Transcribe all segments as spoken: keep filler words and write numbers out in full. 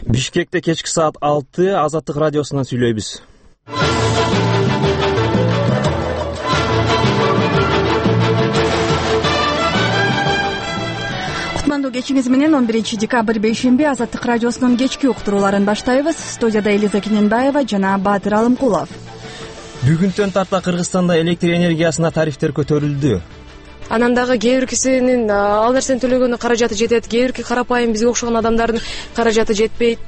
Бишкекте кечки саат алты Азаттык радиосунан сүйлөйбүз. Кутмандуу кечиңиз менен он биринчи декабрь бейшемби Азаттык радиосунун кечки уктурууларын баштайбыз. Студияда Элиза Кененбаева жана Баатыр Алымкулов. Бүгүнтөн тарта Кыргызстанда электр энергиясына тарифтер көтөрүлдү. Анан дагы кээ бир кисинин ал нерсени төлөгөнү каражаты жетет, кээ бирки карапайым бизге окшогон адамдардын каражаты жетпейт.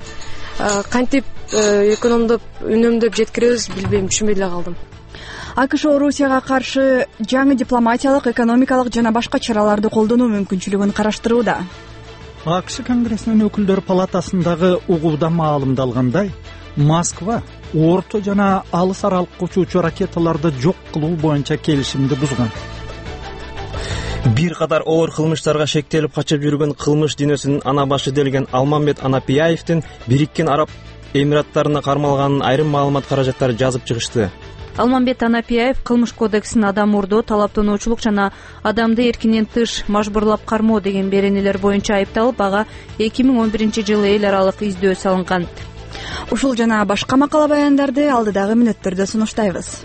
Кантип экономдоп, үнөмдөп жеткиребиз, билбейм, түшүнбөй эле калдым. АКШ Орусияга каршы жаңы дипломатиялык, экономикалык жана башка чараларды колдонуу мүмкүнчүлүгүн караштырууда. АКШ Конгрессинин өкүлдөр палатасындагы угууда маалымдалгандай, Москва орто жана алыс аралыкка учуучу ракеталарды жок кылуу боюнча келишимди бузган. Бир катар оор кылмыштарга шектелип качып жүргөн кылмыш дүйнөсүнүн ана башы делген Алмамбет Анапияевдин Бириккен Араб Эмираттарына кармалганын айрым маалымат каражаттары жазып чыгышты. Алмамбет Анапияев кылмыш кодексинин адам урдоо, талаптануучулук жана адамды эркинен тыш мажбурлап кармоо деген беренелер боюнча айыпталып, ага эки миң он биринчи жылы эл аралык издөө салынган. Ушул жана башка макала баяндарды алдыдагы мүнөттөрдө сунуштайбыз.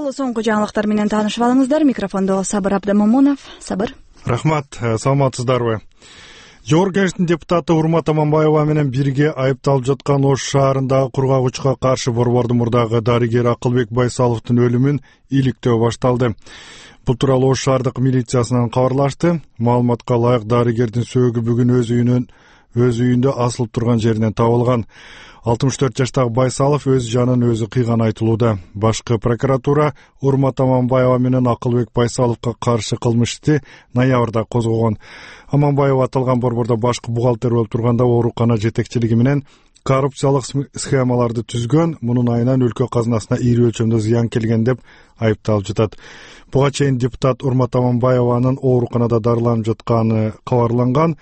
Соңку жаңылыктар менен таанышып алыңыздар. Микрофондо Сабыр Абдамомунов. Сабыр. Рахмат, саламатсыздарбы? Жогорку Кеңештин депутаты Урмат Аманбаева менен бирге айыпталып жаткан Ош шаарындагы кургагычка каршы борбордун мурдагы дарыгер Акылбек Байсаловдун өлүмүн иликтөө башталды. Бул тууралуу Ош шаардык милициясынан кабарлашты. Маалыматка ылайык, дарыгердин сөөгү бүгүн өз үйүнүн өз үйүндө асылып турган жеринен табылган. алтымыш төрт жаштагы Байсалов өз жанын өзү кыйган айтылууда. Башкы прокуратура Урмат Аманбаева менен Акылбек Байсаловго каршы кылмыш ишти ноябрда козгогон. Аманбаева аталган борбордо башкы бухгалтер болуп турганда оорукана жетекчилиги менен коррупциялык схемаларды түзгөн, мунун айынан өлкө казынасына ири өлчөмдө зыян келген деп айыпталып жатат. Буга чейин депутат Урмат Аманбаеванын ооруканада дарыланып жатканы кабарланган.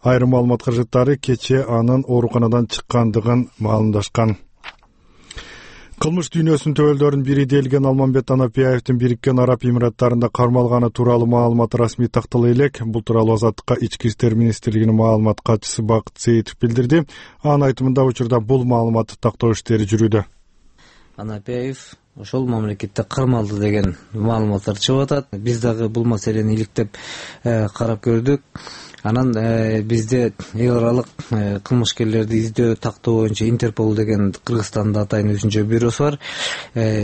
Айрым маалымат каражаттары кече анын ооруканадан чыккандыгын маалымдашкан. Кылмыш дүйнөсүнүн төбөлдөрүнүн бири делген Алмамбет Анапияевдин Бириккен Араб Эмираттарында кармалганы тууралуу маалымат расмий тактала элек. Бул тууралуу Азаттыкка Ички иштер министрлигинин маалымат катчысы Бакыт Сейитов билдирди. Анын айтымында учурда бул маалыматты тактоо иштери жүрүүдө. Анапияев ошол мамлекетте кармалды деген маалыматтар чыгып атат. Биз дагы бул маселени иликтеп карап көрдүк. Анан бизде эл аралык кылмышкерлерди издөө тактоо боюнча Интерпол деген Кыргызстанда атайын өзүнчө бюросу бар.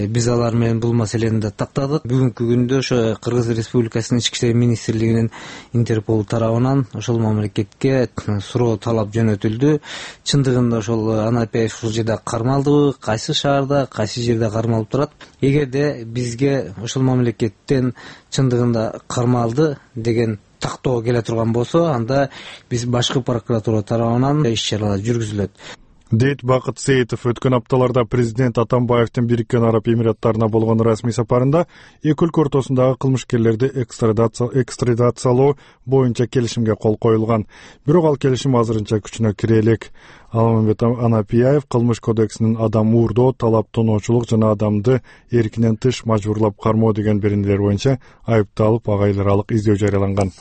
Биз алар менен бул маселени да тактадык. Бүгүнкү күндө ошо Кыргыз Республикасынын Ички иштер министрлигинин Интерпол тарабынан ошол мамлекетке суроо талап жөнөтүлдү. Чындыгында ошол Анапияев ушул жерде кармалдыбы, кайсы шаарда, кайсы жерде кармалып турат? Эгерде бизге ошол мамлекеттен чындыгында кармалды деген тактоо келе турган болсо, анда биз башкы прокуратура тарабынан иш чаралар жүргүзүлөт. Дейт Бакыт Сейитов. Өткөн апталарда президент Атамбаевдин Бириккен Араб Эмираттарына болгон расмий сапарында эки өлкө ортосундагы кылмышкерлерди экстрадациялоо боюнча келишимге кол коюлган. Бирок ал келишим азырынча күчүнө кире элек. Алмамбет Анапияев кылмыш кодексинин адам уурдоо, талаптануучулук жана адамды эркинен тыш мажбурлап кармоо деген беренелер боюнча айыпталып, ага эл аралык издөө жарыяланган.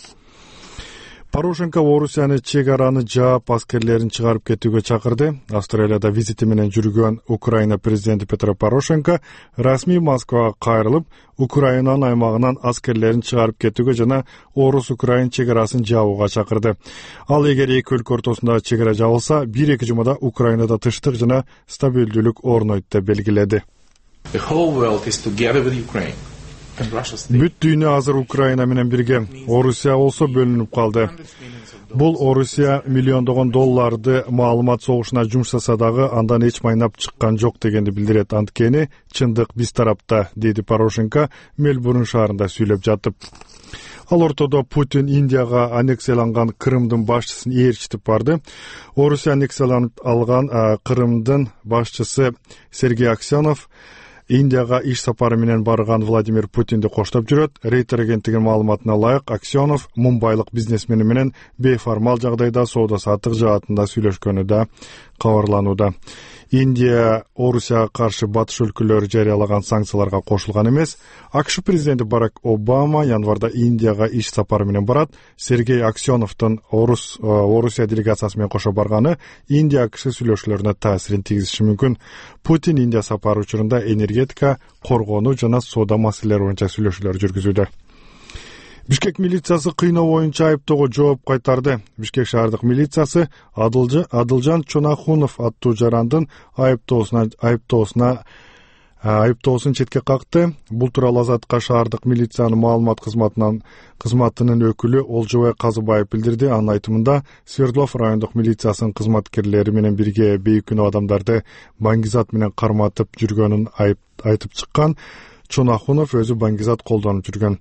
Порошенко Орусияны чек араны жаап, аскерлерин чыгарып кетүүгө чакырды. Австралияда визити менен жүргөн Украина президенти Петро Порошенко расмий Москвага кайрылып, Украинанын аймагынан аскерлерин чыгарып кетүүгө жана Орус-Украин чек арасын жабууга чакырды. Ал эгер эки өлкө ортосундагы чек ара жабылса, бир-эки жумада Украинада тынчтык жана стабилдүүлүк орнойт деп белгиледи. Бүт дүйнө азыр Украина менен бирге. Орусия болсо бөлүнүп калды. Бул Орусия миллиондогон долларды маалымат согушуна жумшаса дагы андан эч майнап чыккан жок дегенди билдирет. Анткени чындык биз тарапта, деди Порошенко Мельбурн шаарында сүйлөп жатып. Ал ортодо Путин Индияга аннексияланган Крымдын башчысын ээрчитип барды. Орусия аннексияланып алган Крымдын башчысы Сергей Аксенов Индияга иш сапары менен барган Владимир Путинди коштоп жүрөт. Рейтер агенттигинин маалыматына ылайык, Аксенов мумбайлык бизнесмени менен бейформал жагдайда соода саттык жаатында сүйлөшкөнү да кабарланууда. Индия Орусияга каршы батыш өлкөлөрү жарыялаган санкцияларга кошулган эмес. АКШ президенти Барак Обама январда Индияга иш сапары менен барат. Сергей Аксеновдун Орус Орусия делегациясы менен кошо барганы Индия АКШ сүйлөшүүлөрүнө таасирин тийгизиши мүмкүн. Путин Индия сапары учурунда энергетика, коргонуу жана соода маселелери боюнча сүйлөшүүлөр жүргүзүүдө. Бишкек милициясы кыйноо боюнча айыптоого жооп кайтарды. Бишкек шаардык милициясы Адылжан Чонахунов аттуу жарандын айыптоосуна айыптоосуна айыптоосун четке какты. Бул тууралуу Азаттыкка шаардык милициянын маалымат кызматынан кызматынын өкүлү Олжобай Казыбаев билдирди. Анын айтымында Свердлов райондук милициясынын кызматкерлери менен бирге бейкүнөө адамдарды баңгизат менен карматып жүргөнүн айтып чыккан. Чонахунов өзү баңгизат колдонуп жүргөн.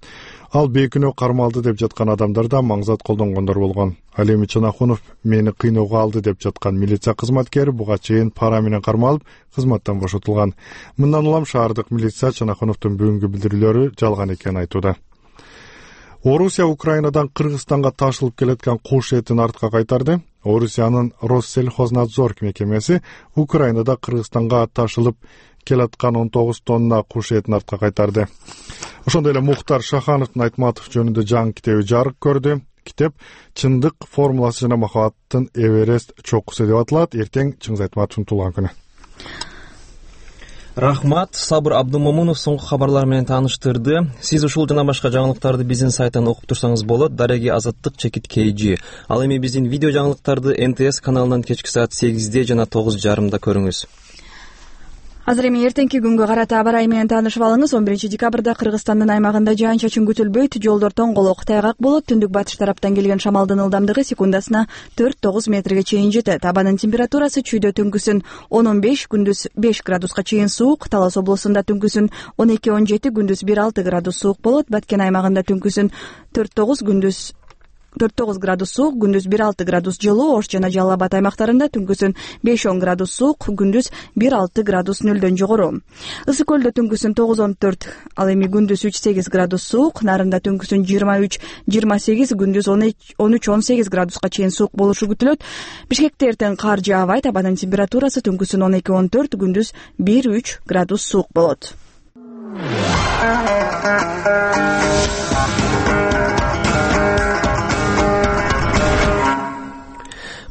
Ал бейкүнөө кармалды деп жаткан адамдар да маңзат колдонгондор болгон. Ал эми Чонахунов мени кыйноого алды деп жаткан милиция кызматкери буга чейин пара менен кармалып, кызматтан бошотулган. Мындан улам шаардык милиция Чонахуновдун бүгүнкү билдирүүлөрү жалган экенин айтууда. Орусия Украинадан Кыргызстанга ташылып келеткан куш этин артка кайтарды. Орусиянын Россельхознадзор мекемеси Украинада Кыргызстанга ташылып келаткан он тогуз тонна куш этин артка кайтарды. Ошондой эле Мухтар Шахановдун Айтматов жөнүндө жаңы китеби жарык көрдү. Китеп «Чындык формуласы жана махабаттын Эверест чокусу» деп аталат. Эртең Чыңгыз Айтматовдун туулган күнү. Рахмат, Сабыр Абдумомунов соңку кабарлар менен тааныштырды. Сиз ушул жана башка жаңылыктарды биздин сайттан окуп турсаңыз болот. Дареги Азаттык чекит кей жи. Ал эми биздин видео жаңылыктарды эн тэ эс каналынан кечки саат сегизде жана тогуз жарымда көрүңүз. Азыр эми эртеңки күнгө карата аба ырайы менен таанышып алыңыз. он биринчи декабрда Кыргызстандын аймагында жаан-чачын күтүлбөйт, жолдор тоңголок, тайгак болот. Түндүк батыш тараптан келген шамалдын ылдамдыгы секундасына төрт тогуз метрге чейин жетет. Абанын температурасы чүйдө түнкүсүн он он беш, күндүз беш градуска чейин суук. Талас облусунда түнкүсүн он эки он жети, күндүз бир алты градус суук болот. Баткен аймагында түнкүсүн төрт тогуз, күндүз төрт тогуз градус суук, күндүз бир алты градус жылуу. Ош жана Жалал Абад аймактарында түнкүсүн беш он градус суук, күндүз бир алты градус нөлдөн жогору. Ысык көлдө түнкүсүн тогуз он төрт, ал эми күндүз үч сегиз градус суук. Нарында түнкүсүн жыйырма үч жыйырма сегиз, күндүз он үч он сегиз градуска чейин суук болушу күтүлөт. Бишкекте эртең кар жаабайт. Абанын температурасы түнкүсүн он эки он төрт, күндүз бир үч градус суук болот.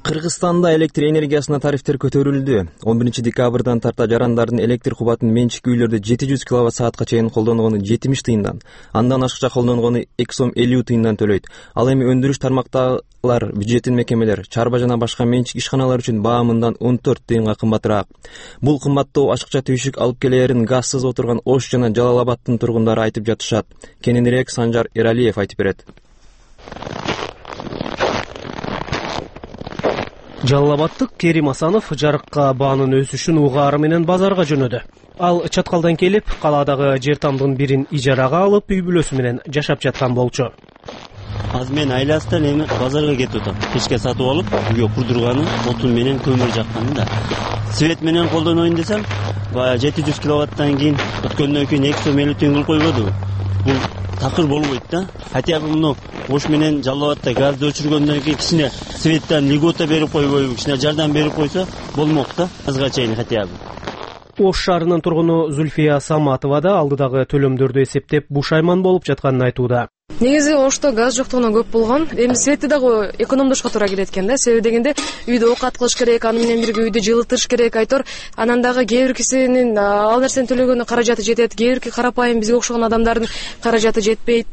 Кыргызстанда электр энергиясына тарифтер көтөрүлдү. он биринчи декабрдан тарта жарандардын электр кубатын менчик үйлөрдө жети жүз киловатт саатка чейин колдонгону жетимиш тыйындан, андан ашыкча колдонгону эки сом элүү тыйындан төлөйт. Ал эми өндүрүш тармактагылар, бюджеттин мекемелер, чарба жана башка менчик ишканалар үчүн баамындан он төрт тыйынга кымбатыраак. Бул кымбаттоо ашыкча түйшүк алып келээрин газсыз отурган Ош жана Жалал Абадтын тургундары айтып жатышат. Кененирээк Санжар Эралиев айтып берет. Жалал Абадтык Керим Асанов жарыкка баанын өсүшүн угаары менен базарга жөнөдү. Ал чаткалдан келип, калаадагы жер тамдын бирин ижарага алып, үй бүлөсү менен жашап жаткан болчу. Азыр мен айластан эми базарга кетип атам. Кечке сатып алып, үйгө курдурганым, отун менен көмүр жакканым да. Свет менен колдоноюн десем, баягы жети жүз киловаттан кийин өткөндөн кийин эки сом элүү тыйын кылып койбоду. Бул такыр болбойт да. Хотя бы муну Ош менен Жалал Абадта газды өчүргөндөн кийин кичине светтен льгота берип койбойбу, кичине жардам берип койсо болмок да. Азга чейин хотя бы. Ош шаарынын тургуну Зульфия Саматова да алдыдагы төлөмдөрдү эсептеп бушайман болуп жатканын айтууда. Негизи Ошто газ жоктугунан көп болгон. Эми светти дагы экономдошко туура келет экен да. Себеби дегенде үйдө оокат кылыш керек, аны менен бирге үйдү жылытыш керек, айтор. Анан дагы кээ бир кисинин ал нерсени төлөгөнү каражаты жетет, кээ бирки карапайым бизге окшогон адамдардын каражаты жетпейт.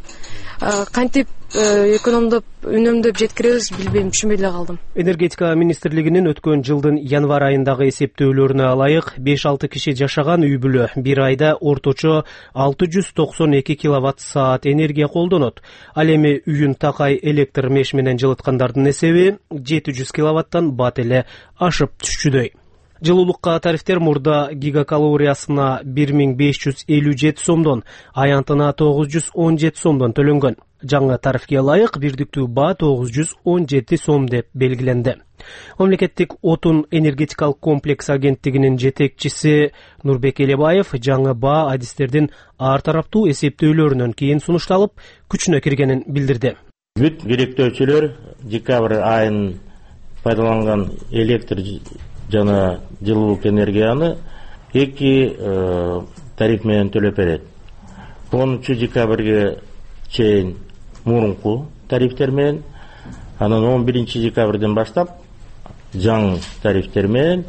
Кантип экономдоп, үнөмдөп жеткиребиз, билбейм, түшүнбөй эле калдым. Энергетика министрлигинин өткөн жылдын январь айындагы эсептөөлөрүнө ылайык беш алты киши жашаган үй бүлө бир айда орточо алты жүз токсон эки киловатт саат энергия колдонот. Ал эми үйүн такай электр меш менен жылыткандардын эсеби жети жүз киловаттан бат эле ашып түшчүдөй. Жылуулукка тарифтер мурда гигакалориясына бир миң беш жүз элүү жети сомдон, аянтына тогуз жүз он жети сомдон төлөнгөн. Жаңы тарифке ылайык бирдиктүү баа тогуз жүз он жети сом деп белгиленди. Мамлекеттик отун энергетикалык комплекс агенттигинин жетекчиси Нурбек Элебаев жаңы баа адистердин ар тараптуу эсептөөлөрүнөн кийин сунушталып, күчүнө киргенин билдирди. Бүт керектөөчүлөр декабрь айынын пайдаланган электр жана жылуулук энергияны эки тариф менен төлөп берет. онунчу декабрга чейин мурунку тарифтер менен, анан он биринчи декабрден баштап жаңы тарифтер менен.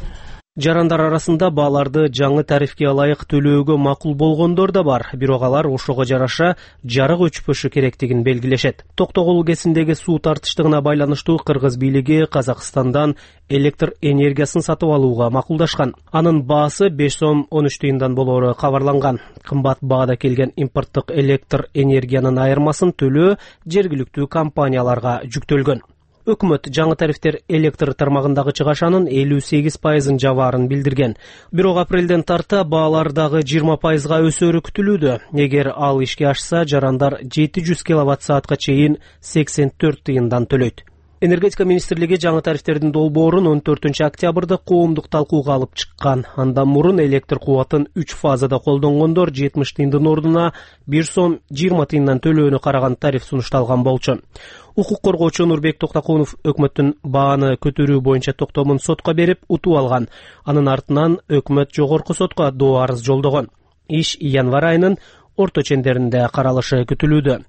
Жарандар арасында бааларды жаңы тарифке ылайык төлөөгө макул болгондор да бар, бирок алар ошого жараша жарык өчпөшү керектигин белгилешет. Токтогул КЭСиндеги суу тартыштыгына байланыштуу кыргыз бийлиги Казакстандан электр энергиясын сатып алууга макулдашкан. Анын баасы беш сом он үч тыйындан болоору кабарланган. Кымбат баада келген импорттук электр энергиянын айырмасын төлөө жергиликтүү компанияларга жүктөлгөн. Өкмөт жаңы тарифтер электр тармагындагы чыгашанын элүү сегиз пайызын жабаарын билдирген. Бирок апрелден тарта баалар дагы жыйырма пайызга өсөөрү күтүлүүдө. Эгер ал ишке ашса, жарандар жети жүз киловатт саатка чейин сексен төрт тыйындан төлөйт. Энергетика министрлиги жаңы тарифтердин долбоорун он төртүнчү октябрда коомдук талкууга алып чыккан. Андан мурун электр кубатын үч фазада колдонгондор жетимиш тыйындын ордуна бир сом жыйырма тыйындан төлөөнү караган тариф сунушталган болчу. Укук коргоочу Нурбек Токтокунов өкмөттүн бааны көтөрүү боюнча токтомун сотко берип утуп алган. Анын артынан өкмөт жогорку сотко доо арыз жолдогон. Иш январь айынын орто чендеринде каралышы күтүлүүдө.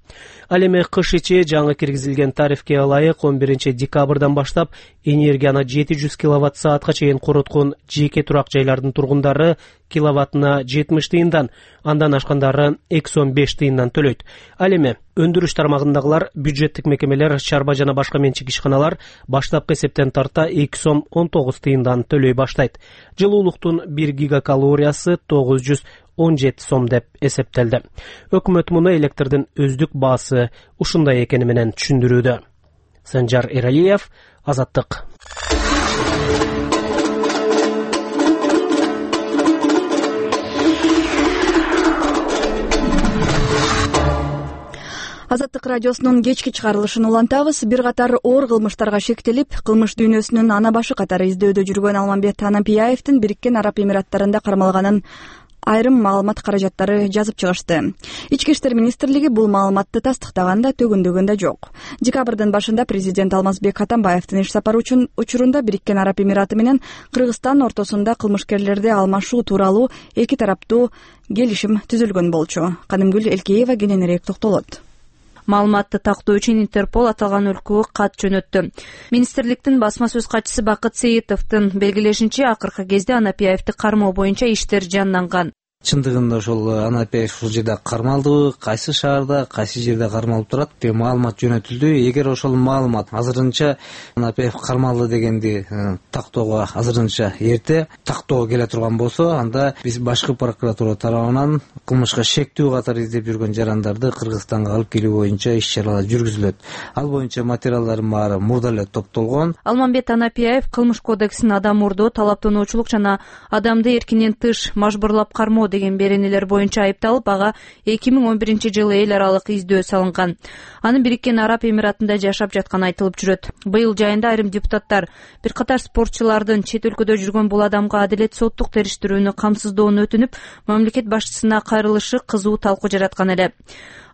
Ал эми кыш ичи жаңы киргизилген тарифке ылайык он биринчи декабрдан баштап энергияны жети жүз киловатт саатка чейин короткон жеке турак жайлардын тургундары киловаттына жетимиш тыйындан, андан ашкандары эки сом беш тыйындан төлөйт. Ал эми өндүрүш тармагындагылар, бюджеттик мекемелер, чарба жана башка менчик ишканалар баштапкы эсептен тарта эки сом он тогуз тыйындан төлөй баштайт. Жылуулуктун бир гигакалориясы тогуз жүз он жети сом деп эсептелди. Өкмөт муну электрдин өздүк баасы ушундай экени менен түшүндүрүүдө. Санжар Эралиев, Азаттык. Азаттык радиосунун кечки чыгарылышын улантабыз. Бир катар оор кылмыштарга шектелип, кылмыш дүйнөсүнүн ана башы катары издөөдө жүргөн Алмамбет Анапияевдин Бириккен Араб Эмираттарында кармалганын айрым маалымат каражаттары жазып чыгышты. Ички иштер министрлиги бул маалыматты тастыктаганда төгүндөгөн да жок. Декабрдын башында президент Алмазбек Атамбаевдин иш сапары үчүн учурунда Бириккен Араб Эмираты менен Кыргызстан ортосунда кылмышкерлерди алмашуу тууралуу эки тараптуу келишим түзүлгөн болчу. Канымгүл Элкеева кененирээк токтолот. Маалыматты тактоо үчүн Интерпол аталган өлкөгө кат жөнөттү. Министрликтин басма сөз катчысы Бакыт Сейитовдун белгилешинче, акыркы кезде Анапияевди кармоо боюнча иштер жанданган. Чындыгында ошол Анапияев ушул жерде кармалдыбы, кайсы шаарда, кайсы жерде кармалып турат деп маалымат жөнөтүлдү. Эгер ошол маалымат азырынча Анапияев кармалды дегенди тактоого азырынча эрте тактоого келе турган болсо, анда биз башкы прокуратура тарабынан кылмышка шектүү катары издеп жүргөн жарандарды Кыргызстанга алып келүү боюнча иш-чаралар жүргүзүлөт. Ал боюнча материалдардын баары мурда эле топтолгон. Алмамбет Анапияев кылмыш кодексинин адам урдоо, талаптануучулук жана адамды эркинен тыш мажбурлап кармоо деген беренелер боюнча айыпталып, ага эки миң он биринчи жылы эл аралык издөө салынган. Анын Бириккен Араб Эмиратында жашап жатканы айтылып жүрөт. Быйыл жайында айрым депутаттар бир катар спортчулардын чет өлкөдө жүргөн бул адамга адилет соттук териштирүүнү камсыздоону өтүнүп, мамлекет башчысына кайрылышы кызуу талкуу жараткан эле.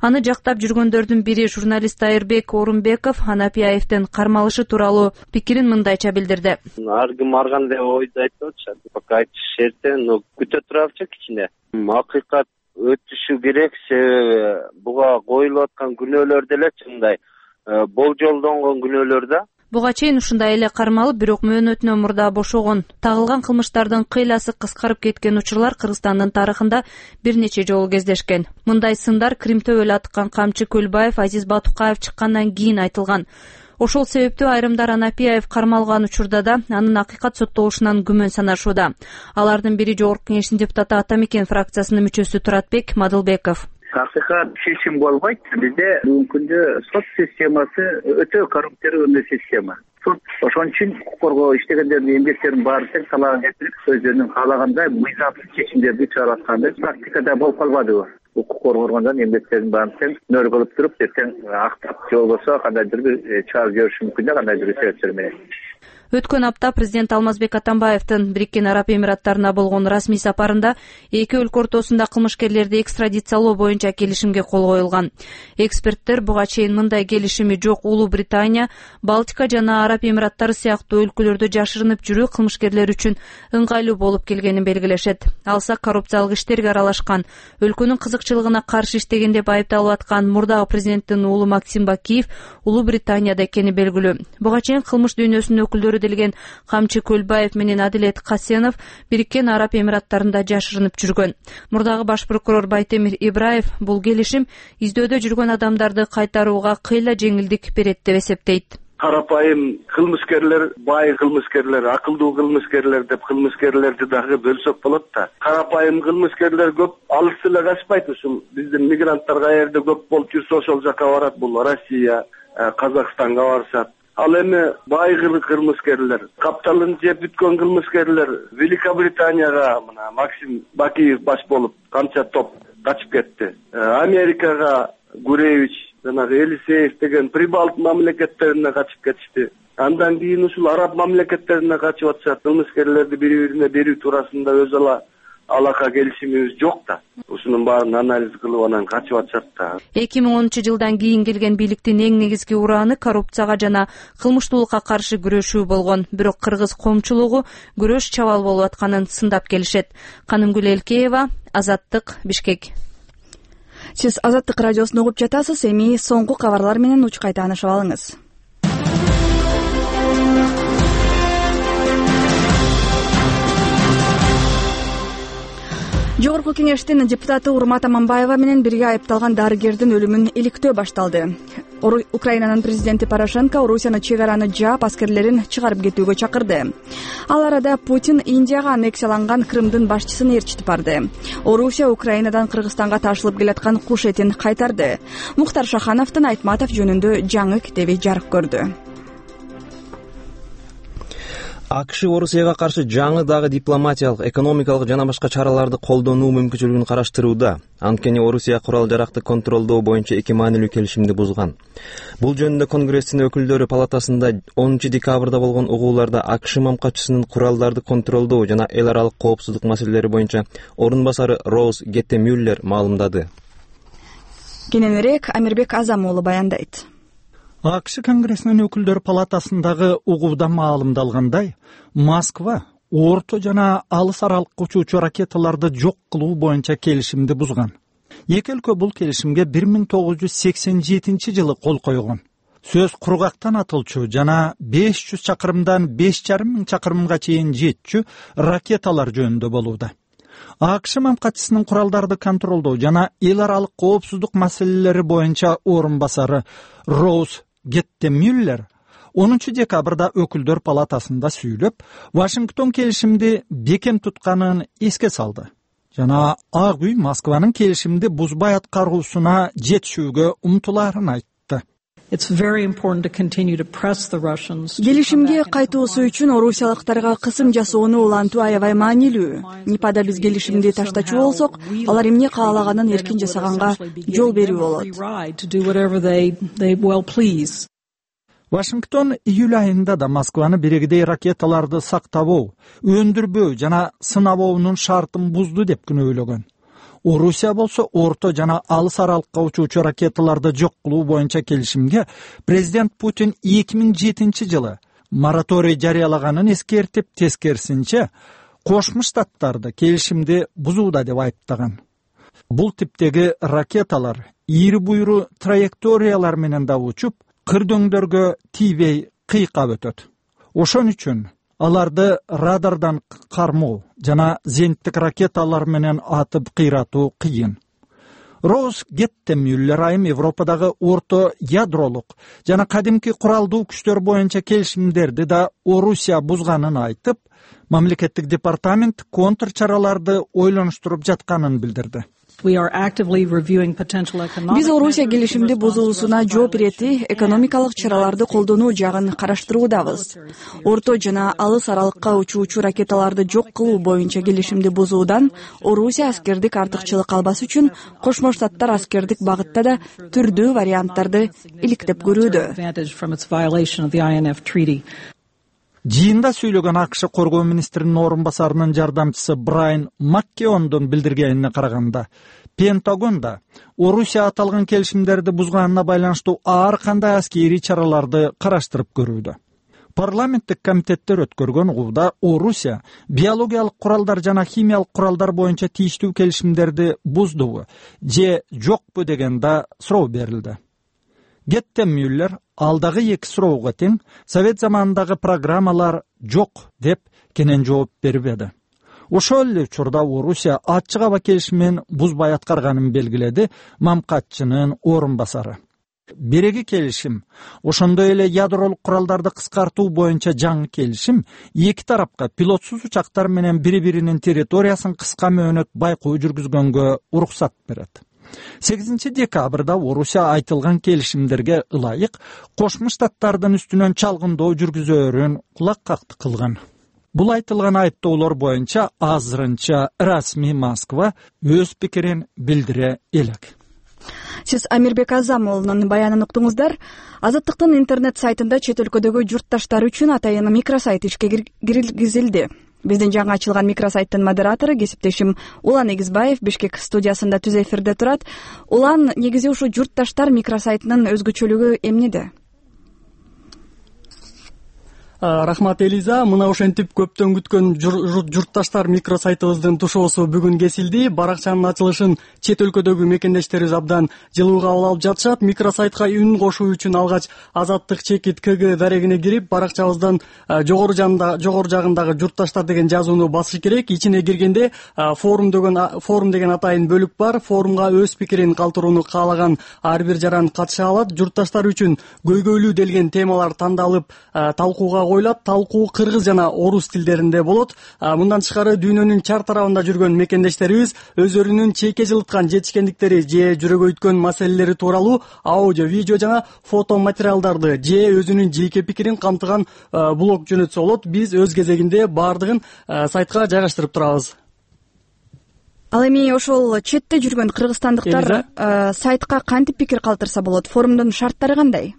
Аны жактап жүргөндөрдүн бири журналист Айырбек Орунбеков Анапияевдин кармалышы тууралуу пикирин мындайча билдирди. Ар ким ар кандай ойду айтып атышат. Пока айтыш эрте, но күтө турабычы кичине. Акыйкат өтүшү керек, себеби буга коюлуп аткан күнөөлөр деле чындай болжолдонгон күнөөлөр да. Буга чейин ушундай эле кармалып, бирок мөөнөтүнөн мурда бошогон. Тагылган кылмыштардын кыйласы кыскарып кеткен учурлар Кыргызстандын тарыхында бир нече жолу кездешкен. Мындай сындар Крим төбөлү аткан камчы Көлбаев, Азиз Батукаев чыккандан кийин айтылган. Ошол себептүү айрымдар Анапияев кармалган учурда да анын акыйкат соттолушунан күмөн санашууда. Алардын бири Жогорку Кеңештин депутаты Атамекен фракциясынын мүчөсү Туратбек Мадылбеков. Акыйкат чечим болбойт. Бизде бүгүнкү күндө сот системасы өтө коррупционный система. Сот ошон үчүн укук коргоо иштегендердин эмгектерин баарын тең талаага кетирип, өздөрүнүн каалагандай мыйзамсыз чечимдерди чыгарып атканды практикада болуп калбадыбы? Укук коргонгондон эмгектерин баарын тең нөр кылып туруп, эртең актап же болбосо кандайдыр бир чыгарып жибериши мүмкүн да, кандайдыр бир себептер менен. Өткөн апта президент Алмазбек Атамбаевдин Бириккен Араб Эмираттарына болгон расмий сапарында эки өлкө ортосунда кылмышкерлерди экстрадициялоо боюнча келишимге кол коюлган. Эксперттер буга чейин мындай келишими жок Улуу Британия, Балтика жана Араб Эмираттары сыяктуу өлкөлөрдө жашырынып жүрүү кылмышкерлер үчүн ыңгайлуу болуп келгенин белгилешет. Алса коррупциялык иштерге аралашкан, өлкөнүн кызыкчылыгына каршы иштеген деп айыпталып аткан мурдагы президенттин уулу Максим Бакиев Улуу Британияда экени белгилүү. Буга чейин кылмыш дүйнөсүнүн өкүлдөрү делген Камчы Көлбаев менен Адилет Касенов Бириккен Араб Эмираттарында жашырынып жүргөн. Мурдагы баш прокурор Байтемир Ибраев бул келишим издөөдө жүргөн адамдарды кайтарууга кыйла жеңилдик берет деп эсептейт. Карапайым кылмышкерлер, бай кылмышкерлер, акылдуу кылмышкерлер деп кылмышкерлерди дагы бөлсөк болот да. Карапайым кылмышкерлер көп алыс эле качпайт, ушул биздин мигранттар каерде көп болуп жүрсө ошол жака барат, бул Россия, Казакстанга барышат. Ал эми бай кылмышкерлер, капталын жеп бүткөн кылмышкерлер Великобританияга мына Максим Бакиев баш болуп канча топ качып кетти. Америкага Гуревич, жанагы Елисеев деген Прибалт мамлекеттерине качып кетишти. Андан кийин ушул араб мамлекеттерине качып атышат. Кылмышкерлерди бири-бирине берүү туурасында өз ала алака келишимибиз жок да. Ушунун баарын анализ кылып анан качып атышат да. эки миң онунчу жылдан кийин келген бийликтин эң негизги урааны коррупцияга жана кылмыштуулукка каршы күрөшүү болгон. Бирок кыргыз коомчулугу күрөш чабал болуп атканын сындап келишет. Канымгүл Элкеева, Азаттык, Бишкек. Сиз Азаттык радиосун угуп жатасыз. Эми соңку кабарлар менен учкай таанышып алыңыз. Жогорку кеңештин депутаты Урмат Аманбаева менен бирге айыпталган дарыгердин өлүмүн иликтөө башталды. Украинанын президенти Порошенко Орусияны чек араны жаап, аскерлерин чыгарып кетүүгө чакырды. Ал арада Путин Индияга аннексияланган Крымдын башчысын ээрчитип барды. Орусия Украинадан Кыргызстанга ташылып келаткан куш этин кайтарды. Муктар Шахановдун Айтматов жөнүндө жаңы китеби жарык көрдү. АКШ Орусияга каршы жаңы дагы дипломатиялык, экономикалык жана башка чараларды колдонуу мүмкүнчүлүгүн караштырууда. Анткени Орусия курал жаракты контролдоо боюнча эки маанилүү келишимди бузган. Бул жөнүндө Конгресстин өкүлдөрү палатасында онунчу декабрда болгон угууларда АКШ мамкачысынын куралдарды контролдоо жана эл аралык коопсуздук маселелери боюнча орун басары Роуз Геттемюллер маалымдады. Кененирээк Амирбек Азам уулу баяндайт. АКШ Конгрессинин өкүлдөр палатасындагы угууда маалымдалгандай, Москва орто жана алыс аралыкка учуучу ракеталарды жок кылуу боюнча келишимди бузган. Эки өлкө бул келишимге бир миң тогуз жүз сексен жетинчи жылы кол койгон. Сөз кургактан атылчу жана беш жүз чакырымдан беш жарым миң чакырымга чейин жетчү ракеталар жөнүндө болууда. АКШ мамкачысынын куралдарды контролдоо жана эл аралык коопсуздук маселелери боюнча орун басары Роуз Геттемюллер онунчу декабрда өкүлдөр палатасында сүйлөп, Вашингтон келишимди бекем тутканын эске салды. Жана Ак үй Москванын келишимди бузбай аткаруусуна жетишүүгө умтулаарын айтты. Келишимге кайтуусу үчүн орусиялыктарга кысым жасоону улантуу аябай маанилүү. Нипада биз келишимди таштачу болсок, алар эмне каалаганын эркин жасаганга жол берүү болот. Вашингтон июль айында да Москваны бирегедей ракеталарды сактабоо, өндүрбөө жана сынабоонун шартын бузду деп күнөөлөгөн. Орусия болсо орто жана алыс аралыкка учуучу ракеталарды жок кылуу боюнча келишимге президент Путин эки миң жетинчи жылы мораторий жарыялаганын эскертип, тескерисинче Кошмо Штаттарды келишимди бузууда деп айыптаган. Бул типтеги ракеталар ийри буйру траекториялар менен да учуп, кырдөңдөргө тийбей кыйкап өтөт. Ошон үчүн аларды радардан кармоо жана зениттик ракеталар менен атып кыйратуу кыйын. Роуз Геттемюллер айым Европадагы орто ядролук жана кадимки куралдуу күчтөр боюнча келишимдерди да Орусия бузганын айтып, мамлекеттик департамент контр чараларды ойлонуштуруп жатканын билдирди. Биз Орусия келишимди бузуусуна жооп иретти экономикалык чараларды колдонуу жагын караштыруудабыз. Орто жана алыс аралыкка учуучу ракеталарды жок кылуу боюнча келишимди бузуудан Орусия аскердик артыкчылык албас үчүн Кошмо Штаттар аскердик багытта да түрдүү варианттарды иликтеп көрүүдө. Жыйында сүйлөгөн АКШ коргоо министринин орун басарынын жардамчысы Брайан Маккеондун билдиргенине караганда, Пентагон да Орусия аталган келишимдерди бузганына байланыштуу ар кандай аскерий чараларды караштырып көрүүдө. Парламенттик комитеттер өткөргөн угууда Орусия биологиялык куралдар жана химиялык куралдар боюнча тийиштүү келишимдерди буздубу же жокпу деген да суроо берилди. Гетте Мюллер алдагы эки суроого тең Совет заманындагы программалар жок деп кенен жооп бербеди. Ошол эле учурда Орусия ачык аба келишимин бузбай аткарганын белгиледи Мамкатчынын орун басары. Береги келишим, ошондой эле ядролук куралдарды кыскартуу боюнча жаңы келишим эки тарапка пилотсуз учактар менен бири-биринин территориясын кыска мөөнөт байкоо жүргүзгөнгө уруксат берет. сегизинчи декабрда Орусия айтылган келишимдерге ылайык Кошмо Штаттардын үстүнөн чалгындоо жүргүзөөрүн кулаккактык кылган. Бул айтылган айыптоолор боюнча азырынча расмий Москва өз пикирин билдире элек. Сиз Амирбек Азамовдун баянын уктуңуздар. Азаттыктын интернет сайтында чет өлкөдөгү журтташтар үчүн атайын микросайт ишке киргизилди. Биздин жаңы ачылган микросайттын модератору кесиптешим Улан Эгизбаев Бишкек студиясында түз эфирде турат. Улан, негизи ушу журтташтар микросайтынын өзгөчөлүгү эмнеде? Рахмат Элиза, мына ошентип көптөн күткөн журтташтар микросайтыбыздын тушоосу бүгүн кесилди. Баракчанын ачылышын чет өлкөдөгү мекендештерибиз абдан жылуу кабыл алып жатышат. Микросайтка үн кошуу үчүн алгач азаттык чекит КГ дарегине кирип, баракчабыздан жогору жагында жогору жагындагы журтташтар деген жазууну басыш керек. Ичине киргенде форум деген форум деген атайын бөлүк бар. Форумга өз пикирин калтырууну каалаган ар бир жаран катыша алат. Журтташтар үчүн көйгөйлүү делген темалар тандалып талкууга коюлат. Талкуу кыргыз жана орус тилдеринде болот. Мындан тышкары дүйнөнүн чар тарабында жүргөн мекендештерибиз өздөрүнүн чейке жылыткан жетишкендиктери же жүрөгөйткөн маселелери тууралуу аудио, видео жана фото материалдарды же өзүнүн жеке пикирин камтыган блог жөнөтсө болот. Биз өз кезегинде баардыгын сайтка жайгаштырып турабыз. Ал эми ошол четте жүргөн кыргызстандыктар сайтка кантип пикир калтырса болот? Форумдун шарттары кандай?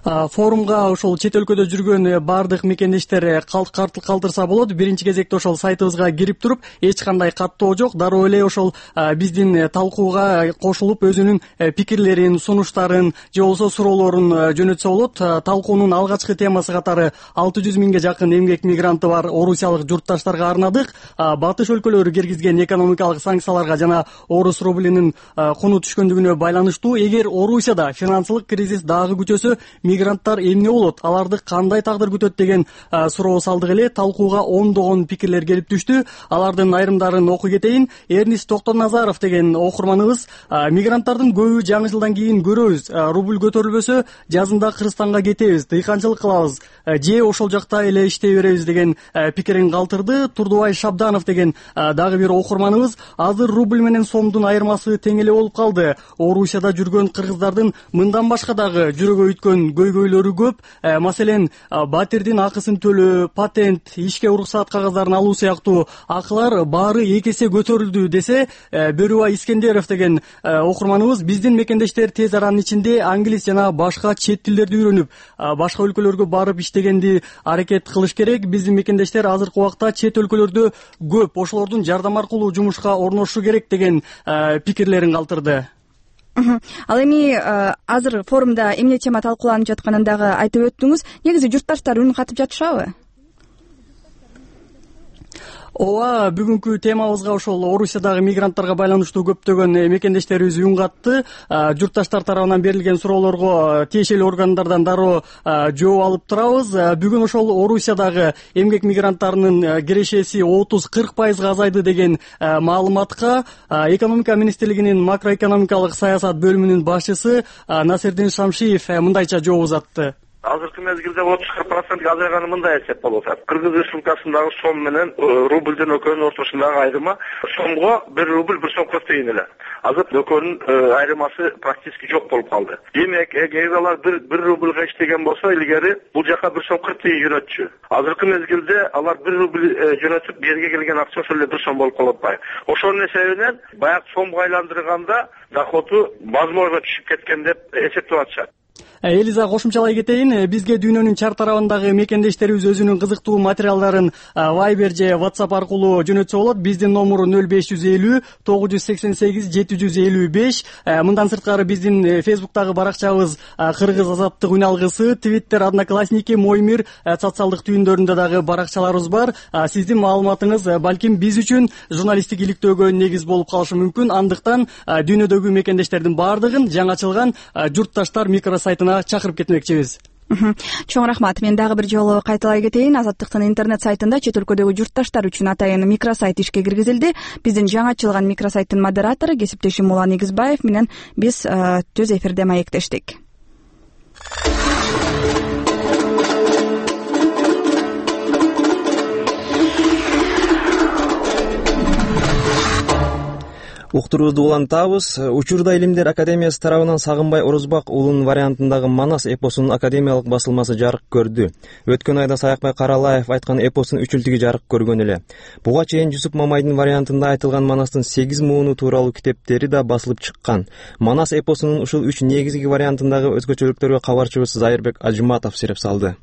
Форумга ошол чет өлкөдө жүргөн баардык мекендештер калтырса болот. Биринчи кезекте ошол сайтыбызга кирип туруп, эч кандай каттоо жок. Дароо эле ошол биздин талкууга кошулуп, өзүнүн пикирлерин, сунуштарын же болбосо суроолорун жөнөтсө болот. Талкуунун алгачкы темасы катары алты жүз миңге жакын эмгек мигранты бар орусиялык журтташтарга арнадык. Батыш өлкөлөрү киргизген экономикалык санкцияларга жана орус рублинин куну түшкөндүгүнө байланыштуу эгер Орусияда финансылык кризис дагы күчөсө, мигранттар эмне болот, аларды кандай тагдыр күтөт деген суроо салдык эле. Талкууга ондогон пикирлер келип түштү. Алардын айрымдарын окуй кетейин. Эрнис Токтоназаров деген окурманыбыз: мигранттардын көбү жаңы жылдан кийин көрөбүз, рубль көтөрүлбөсө жазында Кыргызстанга кетебиз, дыйканчылык кылабыз же ошол жакта эле иштей беребиз деген пикирин калтырды. Турдубай Шабданов деген дагы бир окурманыбыз: азыр рубль менен сомдун айырмасы тең эле болуп калды. Орусияда жүргөн кыргыздардын мындан башка дагы жүрөгөйткөн көйгөйлөрү көп. Маселен, батирдин акысын төлөө, патент, ишке уруксаат кагаздарын алуу сыяктуу акылар баары эки эсе көтөрүлдү десе, Бөрүбай Искендеров деген окурманыбыз: биздин мекендештер тез аранын ичинде англис жана башка чет тилдерди үйрөнүп, башка өлкөлөргө барып иштегенди аракет кылыш керек. Биздин мекендештер азыркы убакта чет өлкөлөрдө көп, ошолордун жардам аркылуу жумушка орношушу керек деген пикирлерин калтырды. Ал эми азыр форумда эмне тема талкууланып жатканын дагы айтып өттүңүз. Негизи журтташтар үн катып жатышабы? Ооба, бүгүнкү темабызга ошол Орусиядагы мигранттарга байланыштуу көптөгөн мекендештерибиз үн катты. Журтташтар тарабынан берилген суроолорго тиешелүү органдардан дароо жооп алып турабыз. Бүгүн ошол Орусиядагы эмгек мигранттарынын кирешеси отуз кырк пайызга азайды деген маалыматка экономика министрлигинин макроэкономикалык саясат бөлүмүнүн башчысы Насирдин Шамшиев мындайча жооп узатты. Азыркы мезгилде отуз кырк процентке азайганы мындай эсеп болуп атат. Кыргыз Республикасындагы сом менен рубльдин экөөнүн ортосундагы айырма сомго бир рубль бир сом кырк тыйын эле. Азыр экөөнүн айырмасы практически жок болуп калды. Демек, эгер алар бир рубльга иштеген болсо, илгери бул жака бир сом кырк тыйын жөнөтчү. Азыркы мезгилде алар бир рубль жөнөтүп, берге келген акча ошол эле бир сом болуп калып атпайбы. Ошонун эсебинен баягы сомго айландырганда доходу возможно түшүп кеткен деп эсептеп атышат. Элиза, кошумчалай кетейин, бизге дүйнөнүн чар тарабындагы мекендештерибиз өзүнүн кызыктуу материалдарын Viber же WhatsApp аркылуу жөнөтсө болот. Биздин номер нөл беш жүз элүү тогуз жүз сексен сегиз жети жүз элүү беш. Мындан сырткары биздин Facebook'тагы баракчабыз Кыргыз Азаттык үн алгысы, Twitter, Одноклассники, Мой мир социалдык түйүндөрүндө дагы баракчаларыбыз бар. Сиздин маалыматыңыз балким биз үчүн журналисттик иликтөөгө негиз болуп калышы мүмкүн. Андыктан дүйнөдөгү мекендештердин баардыгын жаңы ачылган журтташтар микросайтына чакырып кетмекчибиз. Чоң рахмат. Мен дагы бир жолу кайталай кетейин. Азаттыктын интернет сайтында чет өлкөдөгү журтташтар үчүн атайын микросайт ишке киргизилди. Биздин жаңы ачылган микросайттын модератору кесиптешим Мулан Негизбаев менен биз түз эфирде маектештик. Уктуруубузду улантабыз. Учурда Илимдер академиясы тарабынан Сагынбай Орозбак уулунун вариантындагы Манас эпосунун академиялык басылмасы жарык көрдү. Өткөн айда Саякбай Каралаев айткан эпостун үчүлтүгү жарык көргөн эле. Буга чейин Жусуп Мамайдын вариантында айтылган Манастын сегиз мууну тууралуу китептери да басылып чыккан. Манас эпосунун ушул үч негизги вариантындагы өзгөчөлүктөргө кабарчыбыз Зайырбек Ажыматов сереп салды.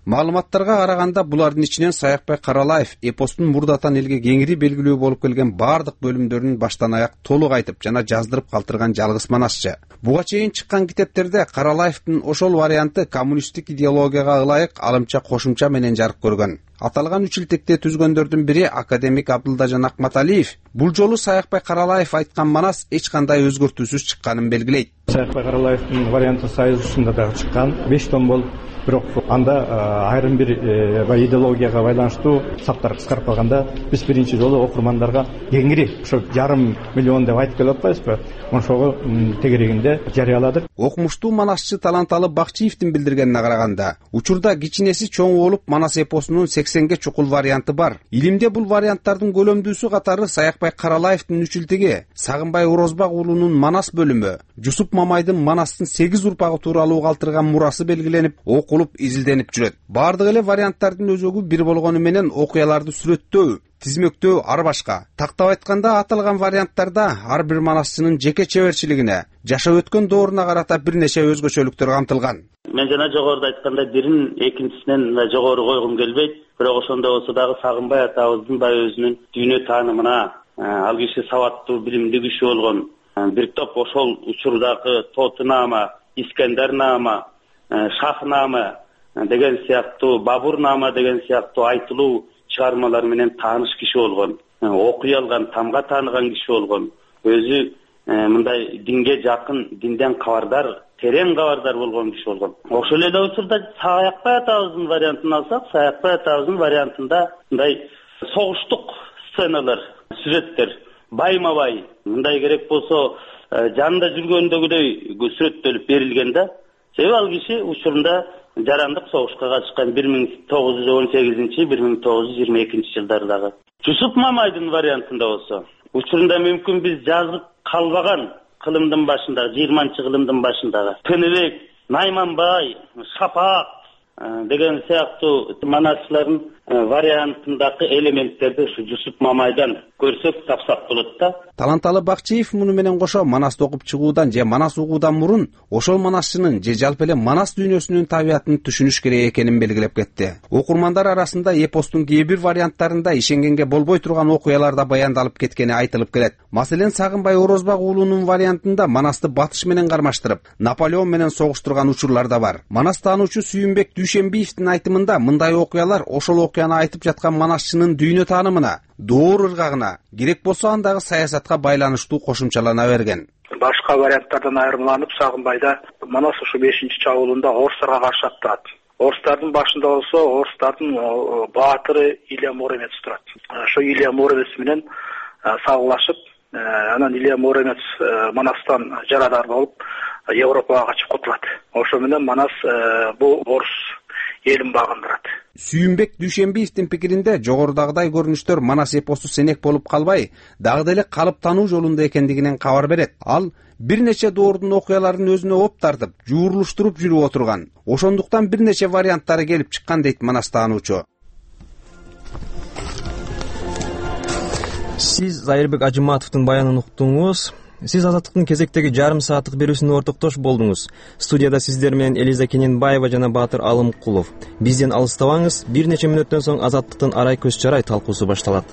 Маалыматтарга караганда булардын ичинен Саякбай Каралаев эпостун мурдатан элге кеңири белгилүү болуп келген баардык бөлүмдөрүн баштан аяк толук айтып жана жаздырып калтырган жалгыз манасчы. Буга чейин чыккан китептерде Каралаевдин ошол варианты коммунисттик идеологияга ылайык алымча кошумча менен жарык көргөн. Аталган үчүлтүктү түзгөндөрдүн бири академик Абдылдажан Акматалиев бул жолу Саякбай Каралаев айткан манас эч кандай өзгөртүүсүз чыкканын белгилейт. Саякбай Каралаевдин варианты союзунда дагы чыккан беш том болуп, бирок анда айрым бир идеологияга байланыштуу саптар кыскарып калганда биз биринчи жолу окурмандарга кеңири ошо жарым миллион деп айтып келип атпайбызбы, ошого тегерегинде жарыяладык. Окумуштуу манасчы Таланталы Бакчиевдин билдиргенине караганда, учурда кичинеси чоң болуп Манас эпосунун сексенге чукул варианты бар. Илимде бул варианттардын көлөмдүүсү катары Саякбай Каралаевдин үчүлтүгү, Сагынбай Орозбак уулунун Манас бөлүмү, Жусуп Мамайдын Манастын сегиз урпагы тууралуу калтырган мурасы белгиленип, окулуп, изилденип жүрөт. Бардык эле варианттардын өзөгү бир болгону менен окуяларды сүрөттөө, тизмектөө ар башка. Тактап айтканда, аталган варианттарда ар бир манасчынын жеке чеберчилигине, жашап өткөн дооруна карата бир нече өзгөчөлүктөр камтылган. Мен жана жогоруда айткандай бирин экинчисинен жогору койгум келбейт, бирок ошондой болсо дагы Сагынбай атабыздын баягы өзүнүн дүйнө таанымына, ал киши сабаттуу, билимдүү киши болгон. Бир топ ошол учурдагы Тотунама, Искендернама, Шахнама деген сыяктуу, Бабурнама деген сыяктуу айтылуу чыгармалар менен тааныш киши болгон, окуй алган, тамга тааныган киши болгон. Өзү мындай динге жакын, динден кабардар, терең кабардар болгон киши болгон. Ошол эле учурда Саякбай атабыздын вариантын алсак, Саякбай атабыздын вариантында мындай согуштук сценалар, сүрөттөр байма-бай, мындай керек болсо жанында жүргөндөгүдөй сүрөттөлүп берилген да. Себеби ал киши учурунда жарандык согушка катышкан бир миң тогуз жүз он сегизинчи бир миң тогуз жүз жыйырма экинчи жылдардагы. Жусуп Мамайдын вариантында болсо, учурунда мүмкүн биз жазып калбаган кылымдын башындагы, жыйырманчы кылымдын башындагы Тыныбек, Найманбай, Шапак деген сыяктуу манасчылардын вариантындагы элементтерди ушу Жусуп Мамайдан көрсөк, тапсак болот да. Таланталы Бакчиев муну менен кошо Манасты окуп чыгуудан же Манас угуудан мурун ошол манасчынын же жалпы эле Манас дүйнөсүнүн табиятын түшүнүш керек экенин белгилеп кетти. Окурмандар арасында эпостун кээ бир варианттарында ишенгенге болбой турган окуялар да баяндалып кеткени айтылып келет. Маселен, Сагынбай Орозбак уулунун вариантында Манасты батыш менен кармаштырып, Наполеон менен согуштурган учурлар да бар. Манас таануучу Сүйүнбек Дүйшенбиевдин айтымында мындай окуялар ошол окуяны айтып жаткан манасчынын дүйнө таанымына, доор ыргагына, керек болсо андагы саясатка байланыштуу кошумчалана берген. Башка варианттардан айырмаланып, Сагынбайда Манас ушу бешинчи чабуулунда орустарга каршы аттанат. Орустардын башында болсо, орустардын баатыры Илья Муромец турат. Ошо Илья Муромец менен сагылашып, анан Илья Муромец Манастан жарадар болуп, Европага качып кутулат. Ошо менен Манас бул орус элин багындырат. Сүйүнбек Дүйшенбиевдин пикиринде жогорудагыдай көрүнүштөр Манас эпосу сенек болуп калбай, дагы деле калып тануу жолунда экендигинен кабар берет. Ал бир нече доордун окуяларын өзүнө оп тартып, жуурлуштуруп жүрүп отурган. Ошондуктан бир нече варианттары келип чыккан дейт Манас таануучу. Сиз Зайырбек Ажыматовдун баянын уктуңуз. Сиз Азаттыктын кезектеги жарым сааттык берүүсүнө ортоктош болдуңуз. Студияда сиздер менен Элиза Кененбаева жана Баатыр Алымкулов. Бизден алыстабаңыз, бир нече мүнөттөн соң Азаттыктын арай көз чарай талкуусу башталат.